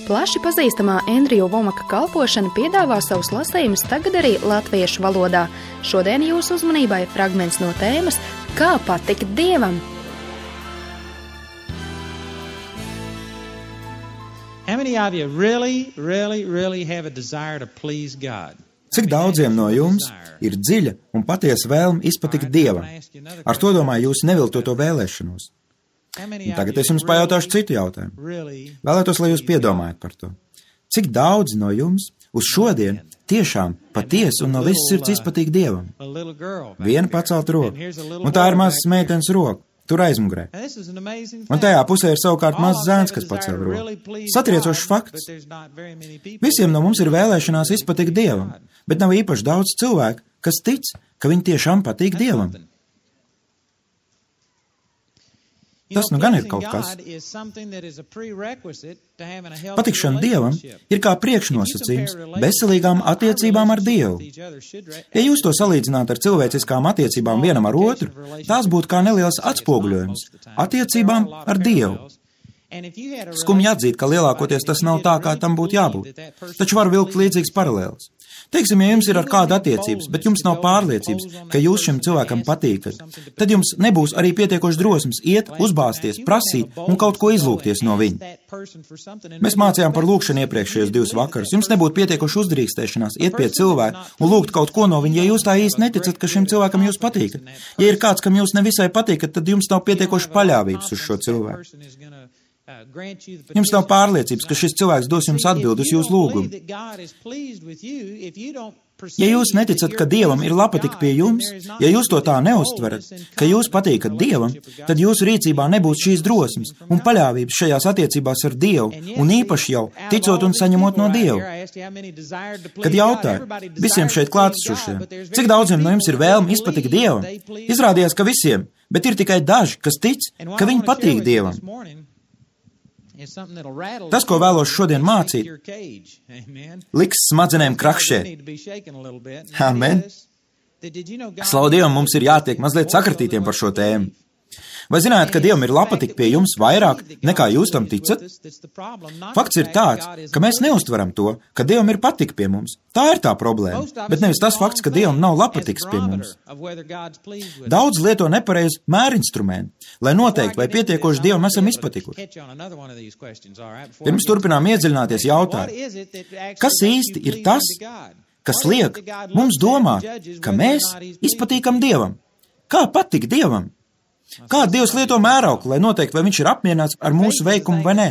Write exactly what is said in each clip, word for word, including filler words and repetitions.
Plaši pazīstamā Andrija Vomaka kalpošana piedāvā savus lasījumus tagad arī latviešu valodā. Šodien jūsu uzmanībai fragments no tēmas Kā patikt Dievam? How many of you really, really, really have a desire to please God? Cik daudziem no jums ir dziļa un patiesa vēlme izpatikt Dievam? Ar to domāju jūsu neviltoto vēlēšanos. Un tagad es jums pajautāšu citu jautājumu. Vēlētos, lai jūs piedomājat par to. Cik daudz no jums uz šodien tiešām patiesi un no visas sirds izpatīk Dievam? Viena pacelt roku, un tā ir mazas meitenes roka, tur aizmugurē. Un tajā pusē ir savukārt mazs zēns, kas pacēl roku. Satriecošs fakts. Visiem no mums ir vēlēšanās izpatikt Dievam, bet nav īpaši daudz cilvēku, kas tic, ka viņi tiešām patīk Dievam. Tas nu gan ir kaut kas. Patikšana Dievam ir kā priekšnosacījums veselīgām attiecībām ar Dievu. Ja jūs to salīdzinātu ar cilvēciskām attiecībām vienam ar otru, tās būtu kā neliels atspoguļojums attiecībām ar Dievu. Skumji atzīt, ka lielākoties tas nav tā, kā tam būtu jābūt. Taču var vilkt līdzīgs paralēls. Teiksim, ja jums ir ar kādu attiecības, bet jums nav pārliecības, ka jūs šim cilvēkam patīkat, tad jums nebūs arī pietiekoši drosmes iet, uzbāzties, prasīt un kaut ko izlūgties no viņa. Mēs mācījām par lūgšanu iepriekšējos divus vakarus. Jums nebūtu pietiekoši uzdrīkstēšanās iet pie cilvēka un lūgt kaut ko no viņa, ja jūs tā īsti neticat, ka šim cilvēkam jūs patīkat. Ja ir kāds, kam jūs nevisai patīkat, tad jums nav pietiekoši paļāvības uz šo cilvēku. Jums nav pārliecības, ka šis cilvēks dos jums atbildi uz jūsu lūgumu. Ja jūs neticat, ka Dievam ir lapatika pie jums, ja jūs to tā neuztverat, ka jūs patīkat Dievam, tad jūsu rīcībā nebūs šīs drosmes un paļāvības šajās attiecībās ar Dievu, un īpaši jau ticot un saņemot no Dieva. Kad jautāju visiem šeit klātesošiem, cik daudziem no jums ir vēlme izpatikt Dievam, izrādījās, ka visiem, bet ir tikai daži, kas tic, ka viņi patīk Dievam. Tas, ko vēlos šodien mācīt, liks smadzenēm krakšēt. Amen. Slavu Dievam, mums ir jātiek mazliet sakratītiem par šo tēmu. Vai zināt, ka Dievam ir lapatika pie jums vairāk, nekā jūs tam ticat? Fakts ir tāds, ka mēs neuztveram to, ka Dievam ir patika pie mums. Tā ir tā problēma, bet nevis tas fakts, ka Dievam nav lapatikas pie mums. Daudz lieto nepareizu mērinstrumentu, lai noteikti, vai pietiekoši Dievam esam izpatikuši. Pirms turpinām iedziļināties jautājumu, kas īsti ir tas, kas liek mums domāt, ka mēs izpatīkam Dievam? Kā patikt Dievam? Kā Dievs lieto mērauklu, lai noteikti, vai viņš ir apmierināts ar mūsu veikumu vai nē?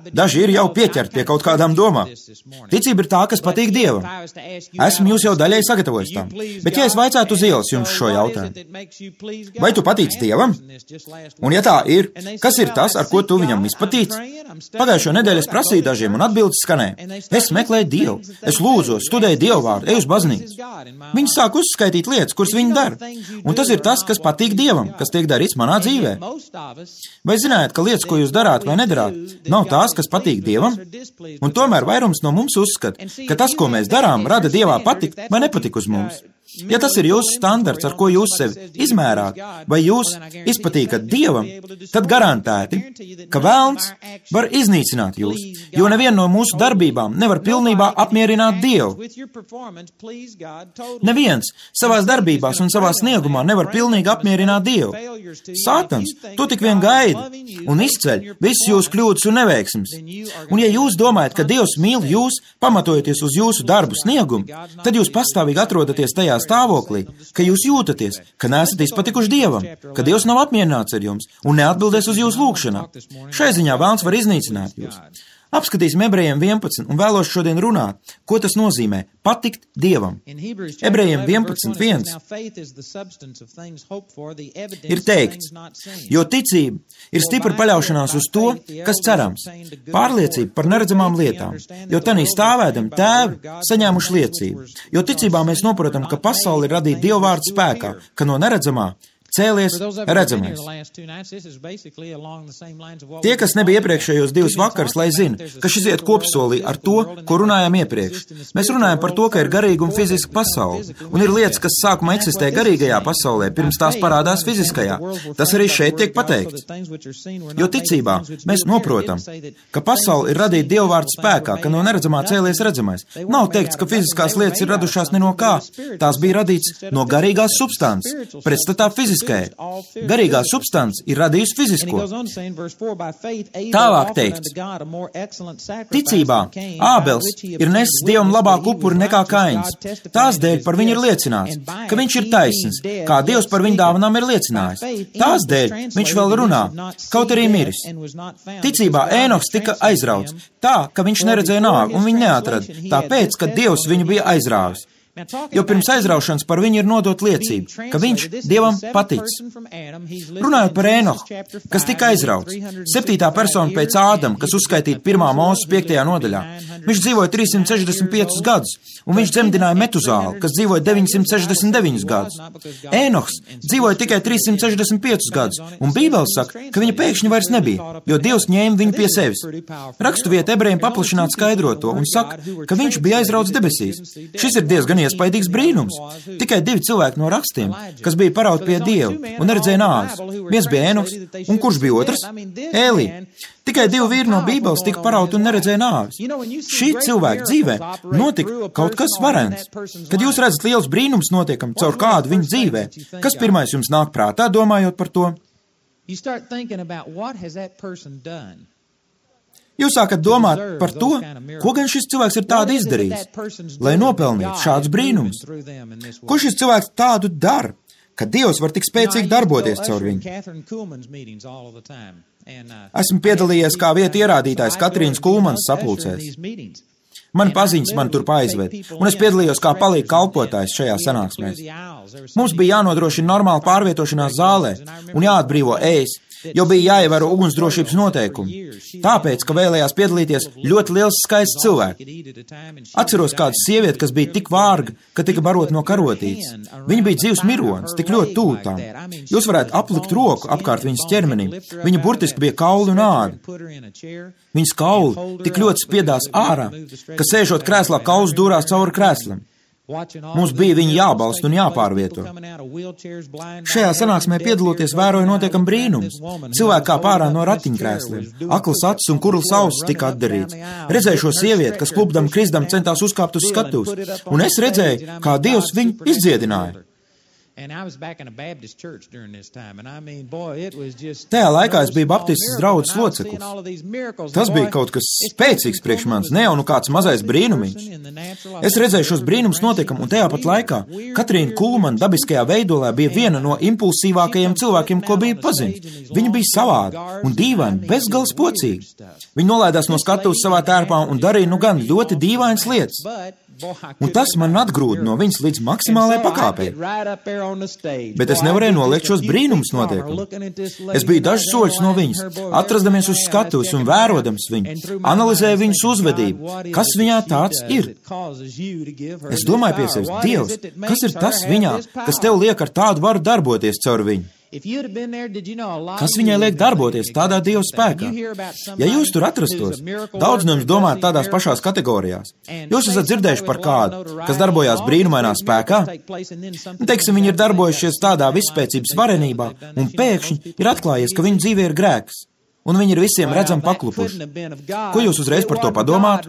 Daži ir jau pieķerti pie kaut kādām domām. Ticība ir tā, kas patīk Dievam. Esmu jūs jau daļai sagatavojis tam. Bet ja es vaicātu uz ielas jums šo jautājumu, vai tu patīc Dievam? Un ja tā ir, kas ir tas, ar ko tu viņam izpatīc? Pagājušo nedēļu es prasīju dažiem un atbildes skanēja. Es meklēju Dievu, es lūdzos, studēju Dievu vārdu, eju uz baznīcu. Viņi sāk uzskaitīt lietas, kuras viņi dara. Un tas ir tas, kas patīk Dievam, kas tiek darīts manā dzīvē. Vai zināt, ka lietas, ko jūs darāt vai nedarāt, nav tās, kas patīk Dievam? Un tomēr vairums no mums uzskata, ka tas, ko mēs darām, rada Dievā patikt vai nepatik uz mums. Ja tas ir jūsu standarts, ar ko jūs sevi izmērāt, vai jūs izpatīkat Dievam, tad garantēti, ka velns var iznīcināt jūs, jo neviena no mūsu darbībām nevar pilnībā apmierināt Dievu. Neviens savās darbībās un savā sniegumā nevar pilnīgi apmierināt Dievu. Sātans to tik vien gaida un izceļ visas jūsu kļūdas un neveiksmes. Un ja jūs domājat, ka Dievs mīl jūs, pamatojoties uz jūsu darbu sniegumu, tad jūs pastāvīgi atrodaties tajā stāvoklī, ka jūs jūtaties, ka neesat izpatikuši Dievam, ka Dievs nav apmierināts ar jums un neatbildēs uz jūsu lūgšanām. Šai ziņā velns var iznīcināt jūs. Apskatīsim Ebrejiem vienpadsmit un vēlos šodien runāt, ko tas nozīmē patikt Dievam. Ebrejiem vienpadsmit viens ir teikts, jo ticība ir stipra paļaušanās uz to, kas cerams, pārliecība par neredzamām lietām, jo tanī stāvēdam tēvi saņēmuši liecību, jo ticībā mēs noprotam, ka pasauli ir radīta Dieva vārda spēkā, ka no neredzamā cēlies redzamais. Tie, kas nebija iepriekšējos divus vakarus, lai zina, ka šis iet kopsolī ar to, ko runājām iepriekš. Mēs runājam par to, ka ir garīga un fiziska pasaule, un ir lietas, kas sākumā eksistē garīgajā pasaulē, pirms tās parādās fiziskajā. Tas arī šeit tiek pateikts. Jo ticībā mēs noprotam, ka pasaule ir radīta Dieva vārda spēkā, ka no neredzamā cēlies redzamais. Nav teikts, ka fiziskās lietas ir radušās ne no kā. Tās bija radīts no garīgās substances, pretstatā fiziskajai. Garīgā substance ir radījusi fizisko. Tālāk teikts, ticībā Ābels ir nesis Dievam labāku upuri nekā Kains. Tās dēļ par viņu ir liecināts, ka viņš ir taisns, kā Dievs par viņu dāvanām ir liecinājis. Tās dēļ viņš vēl runā, kaut arī miris. Ticībā Ēnoks tika aizrauts, tā, ka viņš neredzēja nāvi un viņu neatrada, tāpēc, ka Dievs viņu bija aizrāvis. Jo pirms aizraušanas par viņu ir nodot liecība, ka viņš Dievam paticis. Runājot par Ēnohu, kas tika aizrauts, septītā persona pēc Ādama, kas uzskaitīta pirmā Mūzes piektajā nodaļā. Viņš dzīvoja trīssimt sešdesmit piecus gadus, un viņš dzemdināja Metuzālu, kas dzīvoja deviņsimt sešdesmit deviņus gadus. Ēnohs dzīvoja tikai trīssimt sešdesmit piecus gadus, un Bībele saka, ka viņa pēkšņi vairs nebija, jo Dievs ņēma viņu pie sevis. Rakstuvieta ebrejiem paplašināt skaidro to un saka, ka viņš bija aizrauts debesīs. Šis ir diezgan iespaidīgs brīnums. Tikai divi cilvēki no rakstiem, kas bija parauti pie Dieva un neredzēja nāves. Viens bija Ēnoks, un kurš bija otrs? Ēlī. Tikai divi vīri no Bībeles tika parauti un neredzēja nāves. Šī cilvēka dzīvē notika kaut kas varens. Kad jūs redzat liels brīnums notiekam caur kādu viņa dzīvē, kas pirmais jums nāk prātā, domājot par to? Jūs sākat domāt par to, ko gan šis cilvēks ir tādu izdarījis, lai nopelnītu šādus brīnumus. Ko šis cilvēks tādu dara, ka Dievs var tik spēcīgi darboties caur viņu? Esmu piedalījies kā vieta ierādītājs Katrīnas Kulmanas sapulcēs. Mani paziņas man tur aizved, un es piedalījos kā palīga kalpotājs šajā sanāksmēs. Mums bija jānodrošina normāla pārvietošanās zālē un jāatbrīvo ēst, jo bija jāievēro ugunsdrošības noteikumi. Tāpēc, ka vēlējās piedalīties ļoti liels skaists cilvēki. Atceros kādu sievieti, kas bija tik vārga, ka tika barot no karotītes. Viņa bija dzīvs mironis, tik ļoti tuvu tām. Jūs varētu aplikt roku apkārt viņas ķermenim. Viņa burtiski bija kauli un āda. Viņas kauli tik ļoti spiedās ārā, ka sēžot krēslā kauls dūrās cauri krēslam. Mums bija viņu jābalsta un jāpārvieto. Šajā sanāksmē piedaloties vēroja notiekam brīnums. Cilvēki kā pārā no ratiņkrēsliem. Aklas acis un kurls ausis tika atdarīts. Redzēju šo sievieti, kas klupdam krisdam centās uzkāpt uz skatuves, un es redzēju, kā Dievs viņu izdziedināja. Tajā laikā es biju baptistas draudzes loceklis. Tas bija kaut kas spēcīgs priekš manis, ne jau nu kāds mazais brīnumiņš. Es redzēju šos brīnumus notiekam, un tajā pat laikā Katrīna Kulmana dabiskajā veidolē bija viena no impulsīvākajiem cilvēkiem, ko bija pazint. Viņa bija savāda un dīvaina, bezgals pocīga. Viņa nolaidās no skatuves savā tērpā un darīja nu gan ļoti dīvainas lietas. Un tas man atgrūda no viņas līdz maksimālajai pakāpei. Bet es nevarēju noliekt šos brīnumus notiekumu. Es biju dažus soļus no viņas, atrasdamies uz skatuves un vērodams viņu, analizēju viņas uzvedību, kas viņā tāds ir. Es domāju pie sevis, Dievs, kas ir tas viņā, kas tev liek ar tādu varu darboties caur viņu? Kas viņai liek darboties tādā Dieva spēkā? Ja jūs tur atrastos, daudz no jums domājat tādās pašās kategorijās. Jūs esat dzirdējuši par kādu, kas darbojās brīnumainā spēkā? Teiksim, viņi ir darbojušies tādā visspēcības varenībā, un pēkšņi ir atklājies, ka viņu dzīvē ir grēks. Un viņi ir visiem redzami paklupuši. Ko jūs uzreiz par to padomāt?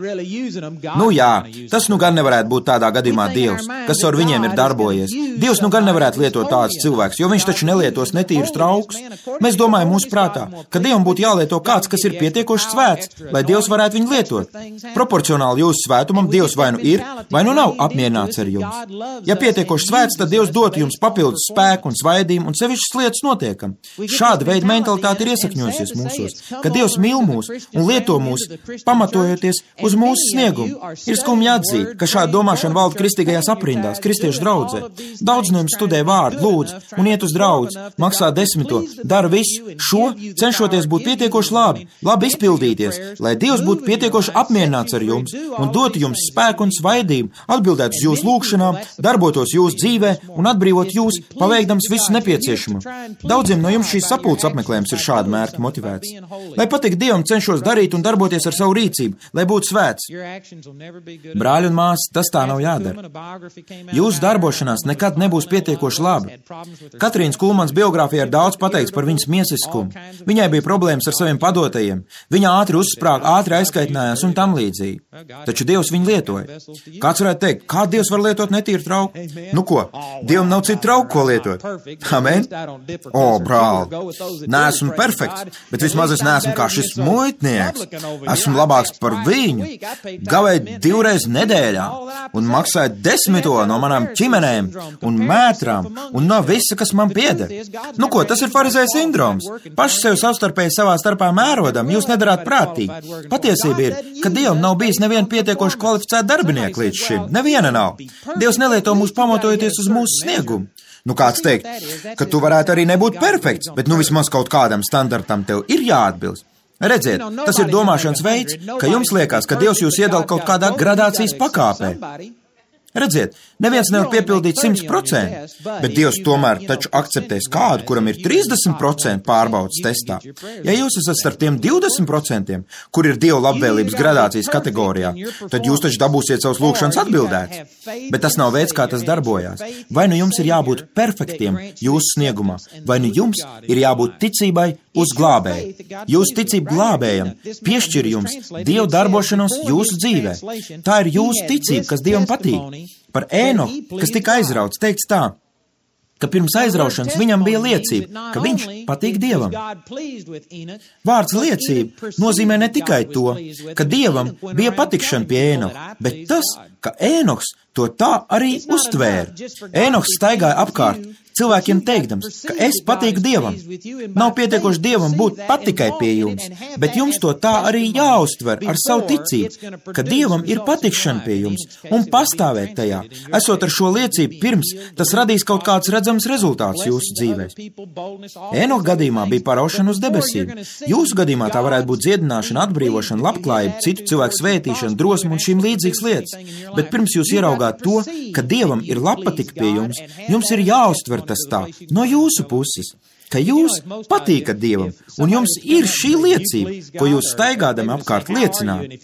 Nu jā, tas nu gan nevarētu būt tādā gadījumā Dievs, kas ar viņiem ir darbojies. Dievs nu gan nevarētu lietot tādus cilvēkus, jo viņš taču nelietos netīrus traukus. Mēs domājam mūsu prātā, ka Dievam būtu jālieto kāds, kas ir pietiekoši svēts, lai Dievs varētu viņu lietot. Proporcionāli jūsu svētumam Dievs vai nu ir, vai nu nav apmierināts ar jums. Ja pietiekoši svēts, tad Dievs dotu jums papildus spēku un svaidījumu un sevišķas lietas notiekam. Šāda veida mentalitāte ir iesakņojusies mūsos. pārliecinātos, ka Dievs mīl mūs un lieto mūs, pamatojoties uz mūsu sniegumu. Ir skumji atzīt, ka šāda domāšana valda kristīgajās aprindās, kristiešu draudzē. Daudz no jums studē vārdu, lūdz un iet uz draudzi, maksā desmito, dara visu šo, cenšoties būt pietiekoši labi, labi izpildīties, lai Dievs būtu pietiekoši apmierināts ar jums un dotu jums spēku un svaidību, atbildētu uz jūsu lūgšanām, darbotos jūsu dzīvē un atbrīvot jūs, paveikdams visu nepieciešamo. Daudziem no jums šīs sapulces apmeklējums ir šāda mērķa motivēts. Lai patīk Dievam, cenšos darīt un darboties ar savu rīcību, lai būtu svēts. Brāļi un māsas, tas tā nav jādara. Jūsu darbošanās nekad nebūs pietiekoši labi. Katrīnas Kulmans biogrāfijā ir daudz pateikts par viņas miesiskumu. Viņai bija problēmas ar saviem padotajiem. Viņa ātri uzsprāga, ātri aizkaitinājās un tam līdzīgi. Taču Dievs viņu lietoja. Kāds varētu teikt, kā Dievs var lietot netīru trauku? Nu ko, Dievam nav citu trauku, ko lietot. Amen? O, brāl, neesmu perfekts, bet vismaz es neesmu kā šis muitnieks. Esmu labāks par viņu. Gavēju divreiz nedēļā un maksāju desmito no manām ķimenēm un mētrām un no visa, kas man pieder. Nu ko, tas ir farizēja sindroms. Paši sev savstarpēji savā starpā mērodam, jūs nedarāt prātīgi. Patiesība ir, ka Dievam nav bijis neviena pietiekoši kvalificēta darbinieka līdz šim. Neviena nav. Dievs nelieto mūs pamatojoties uz mūsu sniegumu. Nu kāds teikt, ka tu varētu arī nebūt perfekts, bet nu vismaz kaut kādam standartam tev ir jāatbilst. Redziet, tas ir domāšanas veids, ka jums liekas, ka Dievs jūs iedala kaut kādā gradācijas pakāpē. Redziet, neviens nevar piepildīt simt procenti, bet Dievs tomēr taču akceptēs kādu, kuram ir trīsdesmit procenti pārbaudas testā. Ja jūs esat starp tiem divdesmit procentiem, kur ir Dieva labvēlības gradācijas kategorijā, tad jūs taču dabūsiet savus lūgšanas atbildēts. Bet tas nav veids, kā tas darbojās. Vai nu jums ir jābūt perfektiem jūsu sniegumā, vai nu jums ir jābūt ticībai uz glābēju. Jūsu ticība glābējam piešķir jums Dieva darbošanos jūsu dzīvē. Tā ir jūsu ticība, kas Dievam patīk. Par Ēnoku, kas tika aizrauts, teikts tā, ka pirms aizraušanas viņam bija liecība, ka viņš patīk Dievam. Vārds liecība nozīmē ne tikai to, ka Dievam bija patikšana pie Ēnoka, bet tas, ka Ēnoks to tā arī uztvēra. Ēnoks staigāja apkārt, cilvēkiem teikdams, ka es patīku Dievam. Nav pietiekoši Dievam būt pat tikai pie jums, bet jums to tā arī jāuztver ar savu ticību, ka Dievam ir patikšana pie jums un pastāvēt tajā. Esot ar šo liecību pirms, tas radīs kaut kāds redzams rezultāts jūsu dzīvēs. Ēnoka gadījumā bija paraušana uz debesīm. Jūsu gadījumā tā varētu būt dziedināšana, atbrīvošana, labklājība, citu cilvēku svētīšana, drosme un šīm līdzīgas lietas. Bet pirms jūs ieraugāt to, ka Dievam ir labpatika pie jums, jums ir jāuztver tas tā, no jūsu puses, ka jūs patīkat Dievam, un jums ir šī liecība, ko jūs staigādami apkārt liecināt.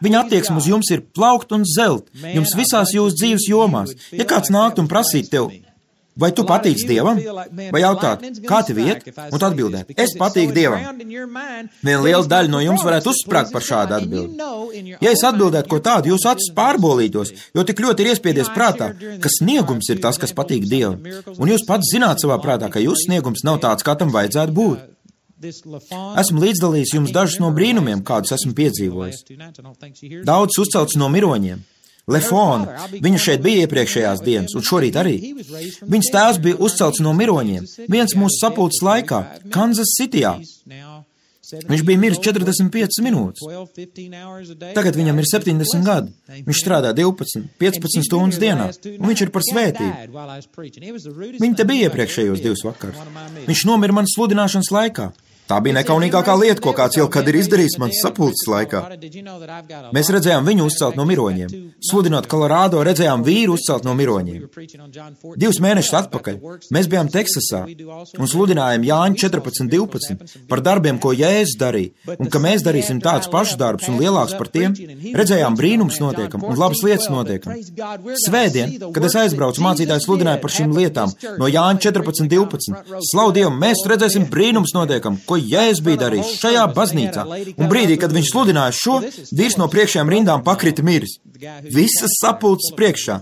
Viņa attieksme uz jums ir plaukt un zelt, jums visās jūsu dzīves jomās. Ja kāds nākt un prasīt tev, vai tu patīc Dievam? Vai jautāt, kā tev iet? Un tu atbildēt, es patīku Dievam. Viena liela daļa no jums varētu uzsprāgt par šādu atbildi. Ja es atbildētu ko tādu, jūsu acis pārbolītos, jo tik ļoti ir iespiedies prātā, ka sniegums ir tas, kas patīk Dievam. Un jūs pats zināt savā prātā, ka jūsu sniegums nav tāds, kā tam vajadzētu būt. Esmu līdzdalījis jums dažus no brīnumiem, kādus esmu piedzīvojis. Daudz uzcelts no miroņiem. Lefona, viņa šeit bija iepriekšējās dienas, un šorīt arī. Viņas tēvs bija uzcelts no miroņiem, viens mūsu sapulces laikā, Kansas Cityjā. Viņš bija miris četrdesmit piecas minūtes. Tagad viņam ir septiņdesmit gadi. Viņš strādā divpadsmit, piecpadsmit stundas dienā, un viņš ir par svētību. Viņa te bija iepriekšējos divus vakarus. Viņš nomira manas sludināšanas laikā. Tā bija nekaunīgākā lieta, ko kāds jau kad ir izdarījis manas sapulces laikā. Mēs redzējām viņu uzcelt no miroņiem. Sludinot Kolorādo, redzējām vīru uzcelt no miroņiem. Divus mēnešus atpakaļ mēs bijām Teksasā un sludinājām Jāņa četrpadsmit divpadsmit par darbiem, ko Jēzus darīja, un ka mēs darīsim tādus pašus darbus un lielākus par tiem. Redzējām brīnums notiekam un labas lietas notiekam. Svētdien, kad es aizbraucu, mācītājs sludināja par šīm lietām no Jāņa četrpadsmit divpadsmit. Slavu Dievam, mēs redzēsim brīnums notiekam, ko Jēzus bija darījis šajā baznīcā, un brīdī, kad viņš sludināja šo, vīrs no priekšējām rindām pakrita miris. Visas sapulces priekšā.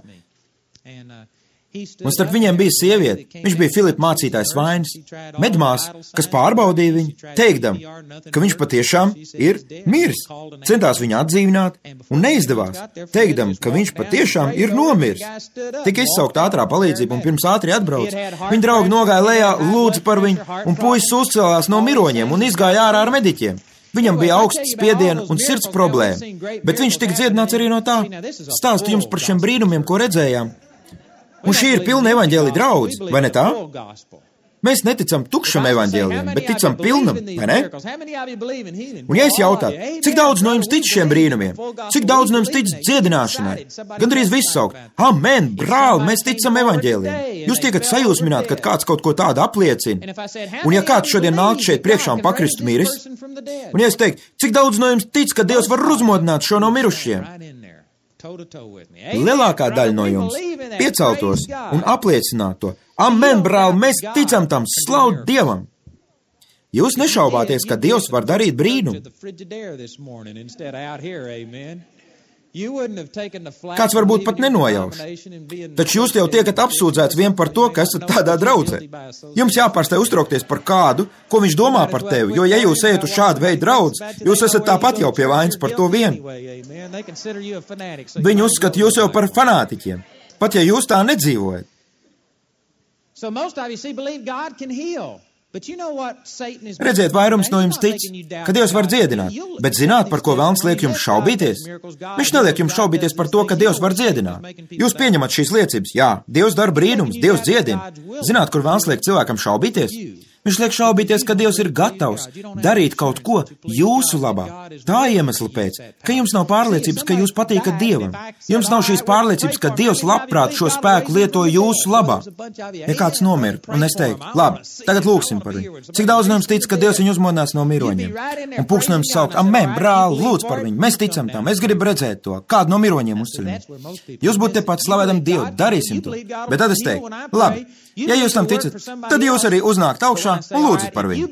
Un starp viņiem bija sieviete, viņš bija Filipa mācītājs Vainis, medmās, kas pārbaudīja viņu, teikdam, ka viņš patiešām ir miris. Centās viņu atdzīvināt un neizdevās, teikdam, ka viņš patiešām ir nomiris. Tika izsaukt ātrā palīdzība un pirms ātri atbrauc. Viņa draugi nogāja lejā, lūdza par viņu, un puisis uzcēlās no miroņiem un izgāja ārā ar mediķiem. Viņam bija augsts spiediena un sirds problēma, bet viņš tika dziedināts arī no tā. Stāstu jums par šiem brīnumiem, ko redzējām. Un šī ir pilna evaņģēlija draudze, vai ne tā? Mēs neticam tukšam evaņģēlijam, bet ticam pilnam, vai ne? Un ja es jautātu, cik daudz no jums tic šiem brīnumiem? Cik daudz no jums tic dziedināšanai? Gandrīz viss saukt, amen, brāl, mēs ticam evaņģēlijam. Jūs tiekat sajūsmināt, kad kāds kaut ko tādu apliecina. Un ja kāds šodien nāk šeit priekšā un pakristu miris, un ja es teiktu, cik daudz no jums tic, ka Dievs var uzmodināt šo no mirušiem? Lielākā daļa no jums pieceltos un apliecinātu to. Amen, brāl, mēs ticam tam, slavu Dievam. Jūs nešaubāties, ka Dievs var darīt brīnumu. Kāds varbūt pat nenojauš. Taču jūs jau tiekat apsūdzēts vien par to, ka esat tādā draudzē. Jums jāpārstāj uztraukties par kādu, ko viņš domā par tevi, jo ja jūs ejat uz šādu veidu draudz, jūs esat tāpat jau pie vainas par to vienu. Viņi uzskata jūs jau par fanātiķiem, pat ja jūs tā nedzīvojat. Redziet, vairums no jums tic, ka Dievs var dziedināt, bet zināt, par ko velns liek jums šaubīties? Viņš neliek jums šaubīties par to, ka Dievs var dziedināt. Jūs pieņemat šīs liecības, jā, Dievs dara brīnums, Dievs dziedina. Zināt, kur velns liek cilvēkam šaubīties? Viņš liek šaubīties, ka Dievs ir gatavs darīt kaut ko jūsu labā. Tā iemesla pēc, ka jums nav pārliecības, ka jūs patīkat Dievam. Jums nav šīs pārliecības, ka Dievs labprāt šo spēku lieto jūsu labā. Ja kāds nomirtu, un es teiktu, labi, tagad lūksim par viņu. Cik daudz no jums tic, ka Dievs viņu uzmodinās no miroņiem? Un pūkstnojums saukt, amen, brāl, lūdz par viņu, mēs ticam tam, es gribu redzēt to, kādu no miroņiem uzceļam. Jūs būtu tepat slavēdam Dievu, darīsim to. Bet tad es teiktu, labi, ja jūs tam ticat, tad jūs arī uznākt augšā un lūdzat par viņu.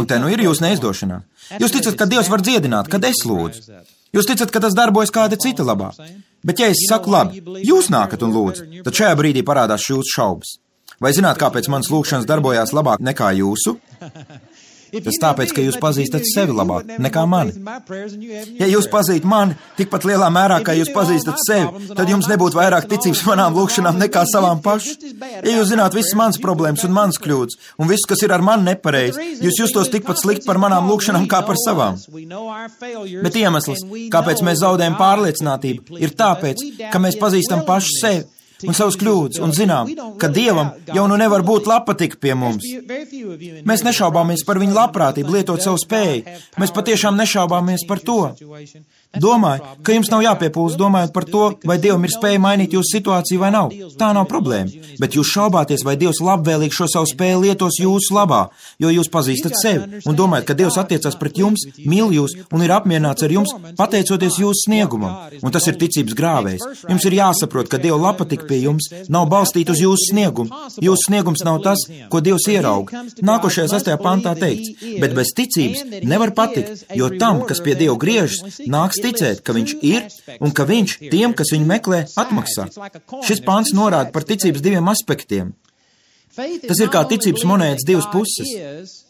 Un te nu ir jūs neizdošanā. Jūs ticat, ka Dievs var dziedināt, kad es lūdzu. Jūs ticat, ka tas darbojas kāda cita labā. Bet ja es saku labi, jūs nākat un lūdzu, tad šajā brīdī parādās jūsu šaubas. Vai zināt, kāpēc manas lūkšanas darbojās labāk nekā jūsu? Tas tāpēc, ka jūs pazīstat sevi labāk nekā mani. Ja jūs pazīt mani tikpat lielā mērā, kā jūs pazīstat sevi, tad jums nebūtu vairāk ticības manām lūkšanām nekā savām pašu. Ja jūs zināt visas manas problēmas un manas kļūdas, un viss, kas ir ar mani nepareizi, jūs justos tikpat slikti par manām lūkšanām kā par savām. Bet iemesls, kāpēc mēs zaudējam pārliecinātību, ir tāpēc, ka mēs pazīstam pašu sevi un savus kļūdas, un zinām, ka Dievam jau nu nevar būt labpatika pie mums. Mēs nešaubāmies par viņu labprātību lietot savu spēju. Mēs patiešām nešaubāmies par to. Domāju, ka jums nav jāpiepūlas domājot par to, vai Dievam ir spēja mainīt jūsu situāciju vai nav. Tā nav problēma, bet jūs šaubāties, vai Dievs labvēlīgi šo savu spēju lietos jūsu labā, jo jūs pazīstat sevi un domājat, ka Dievs attiecas pret jums, mīl jūs un ir apmierināts ar jums, pateicoties jūsu sniegumam. Un tas ir ticības grāvējs. Jums ir jāsaprot, ka Dieva labpatika pie jums nav balstīta uz jūsu sniegumu. Jūsu sniegums nav tas, ko Dievs ierauga. Nākošajā sastajā pantā teikts, bet bez ticības nevar patikt, jo tam, kas pie Dieva griežas, nāks ticēt, ka viņš ir un ka viņš tiem, kas viņu meklē, atmaksā. Šis pants norāda par ticības diviem aspektiem. Tas ir kā ticības monētas divas puses.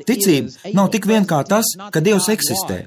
Ticība nav tik vien kā tas, ka Dievs eksistē.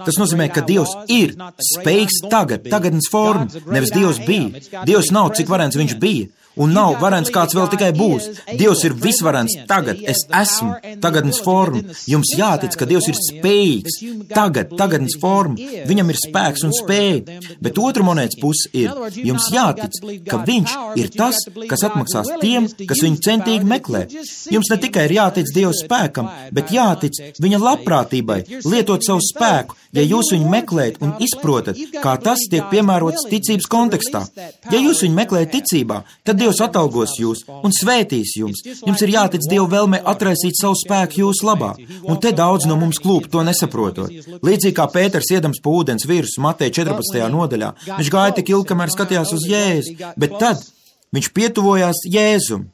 Tas nozīmē, ka Dievs ir spējīgs tagad, tagadnes forma, nevis Dievs bija. Dievs nav, cik varens viņš bija. Un nav varens, kāds vēl tikai būs. Dievs ir visvarens tagad, es esmu, tagadnes forma. Jums jātic, ka Dievs ir spējīgs, tagad, tagadnes forma. Viņam ir spēks un spēja. Bet otra monētas puse ir, jums jātic, ka viņš ir tas, kas atmaksās tiem, kas viņu centīgi meklē. Jums ne tikai ir jātic Dieva spēkam, bet jātic viņa labprātībai, lietot savu spēku, ja jūs viņu meklējat un izprotat, kā tas tiek piemērots ticības kontekstā. Ja jūs viņu meklējat ticībā, tad Dievs atalgos jūs un svētīs jums. Jums ir jātic Dieva vēlmē atraisīt savu spēku jūsu labā. Un te daudz no mums klūp to nesaprotot. Līdzīgi kā Pēters iedams pa ūdens virsmu Mateja četrpadsmitajā nodaļā, viņš gāja tik ilgi, kamēr skatījās uz Jēzu, bet tad viņš pietuvojās Jēzum.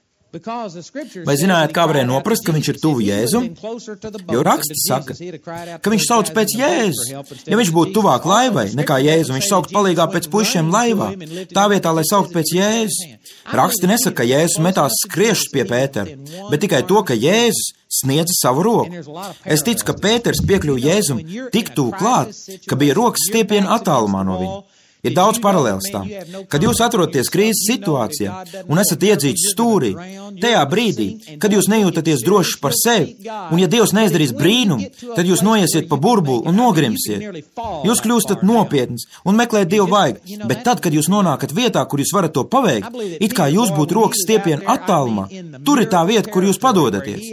Vai zinājāt, kā varēja noprast, ka viņš ir tuvu Jēzum? Jo raksts saka, ka viņš sauc pēc Jēzus. Ja viņš būtu tuvāk laivai nekā Jēzu, viņš saukt palīgā pēc puišiem laivā, tā vietā, lai saukt pēc Jēzus. Raksti nesaka, ka Jēzus metās skriešus pie Pētera, bet tikai to, ka Jēzus sniedza savu roku. Es ticu, ka Pēters piekļuva Jēzum tik tuvu klāt, ka bija rokas stiepiena attālumā no viņa. Ir daudz paralēlas tam. Kad jūs atrodaties krīzes situācijā un esat iedzīts stūrī, tajā brīdī, kad jūs nejūtaties droši par sevi, un ja Dievs neizdarīs brīnumu, tad jūs noiesiet pa burbuli un nogrimsiet. Jūs kļūstat nopietns un meklēt Dievu vaigu, bet tad, kad jūs nonākat vietā, kur jūs varat to paveikt, it kā jūs būtu rokas stiepiena attālumā, tur ir tā vieta, kur jūs padodaties.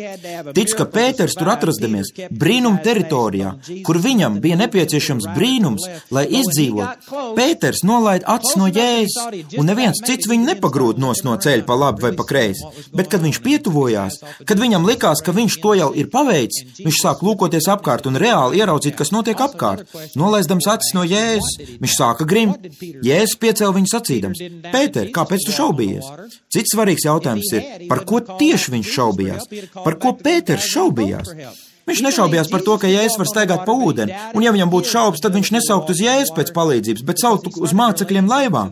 Ticu, ka Pēters tur atrastamies brīnuma teritorijā, kur viņam bija nepieciešams brīnums, lai izdzīvot. Pēters nolaid acis no Jēzus, un neviens cits viņu nepagrūd nos no ceļa pa labi vai pa kreisi, bet, kad viņš pietuvojās, kad viņam likās, ka viņš to jau ir paveicis, viņš sāk lūkoties apkārt un reāli ieraudzīt, kas notiek apkārt. Nolaizdams acis no Jēzus, viņš sāka grimt. Jēzus piecēla viņu sacīdams: Pēter, kāpēc tu šaubījies? Cits svarīgs jautājums ir, par ko tieši viņš šaubījās? Par ko Pēters šaubījās? Viņš nešaubījās par to, ka Jēzus var staigāt pa ūdeni, un ja viņam būtu šaubas, tad viņš nesaukt uz Jēzus pēc palīdzības, bet sauktu uz mācekļiem laivā.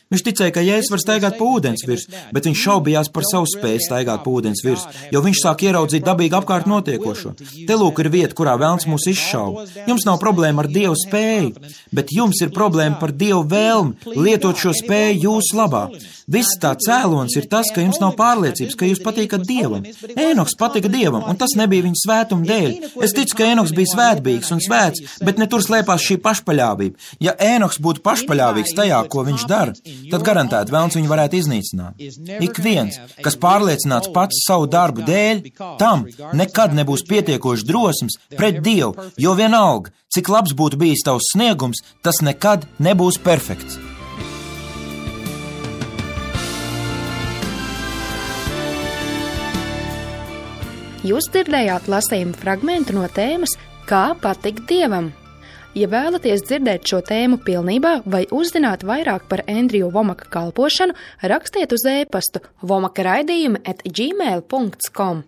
Viņš ticēja, ka Jēzus var staigāt pa ūdens virs, bet viņš šaubījās par savu spēju staigāt pa ūdens virs, jo viņš sāk ieraudzīt dabīgi apkārt notiekošo. Te lūk ir vieta, kurā velns mūs izšauba. Jums nav problēma ar Dievu spēju, bet jums ir problēma par Dievu vēlmi lietot šo spēju jūsu labā. Viss tā cēlons ir tas, ka jums nav pārliecības, ka jūs patīkat Dievam. Ēnoks patika Dievam, un tas nebija viņa svētuma dēļ. Es ticu, ka Ēnoks bija svētbīgs un svēts, bet ne tur slēpās šī pašpaļāvība. Ja Ēnoks būtu pašpaļāvīgs tajā, ko viņš dara, tad garantēti velns viņu varētu iznīcināt. Ik viens, kas pārliecināts pats savu darbu dēļ, tam nekad nebūs pietiekoši drosmes pret Dievu, jo vienalga, cik labs būtu bijis tavs sniegums, tas nekad nebūs perfekts. Jūs dzirdējāt lasījumu fragmentu no tēmas Kā patikt Dievam? Ja vēlaties dzirdēt šo tēmu pilnībā vai uzzināt vairāk par Andriju Vomaka kalpošanu, rakstiet uz e-pastu vomaka raidījumi at gmail dot com.